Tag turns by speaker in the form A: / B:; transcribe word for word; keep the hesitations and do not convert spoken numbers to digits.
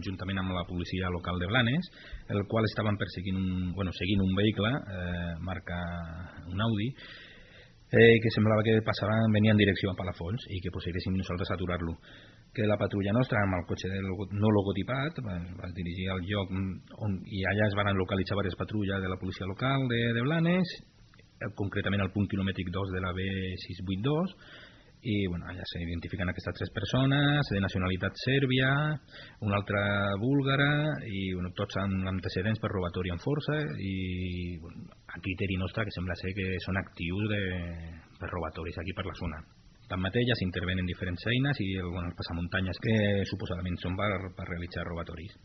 A: conjuntament amb la policia local de Blanes, el qual estaven perseguint un, bueno, seguint un vehicle, eh, marca un Audi, eh, que semblava que passaven, venia en direcció a Palafolls i que pues, haguéssim nosaltres a aturar-lo. Que la patrulla nostra, amb el cotxe no logotipat, va dirigir al lloc on, i allà es van localitzar diverses patrulles de la policia local de, de Blanes, concretament al punt quilomètric dos de la B sis cents vuitanta dos, i bueno, allà s'identifiquen aquestes tres persones de nacionalitat sèrbia, una altra búlgara i bueno, tots amb antecedents per robatori amb força i bueno, a criteri nostre que sembla ser que són actius de, per robatoris aquí per la zona. Tanmateix ja s'intervenen diferents eines i el, bueno, els passamuntanyes que suposadament són per, per realitzar robatoris.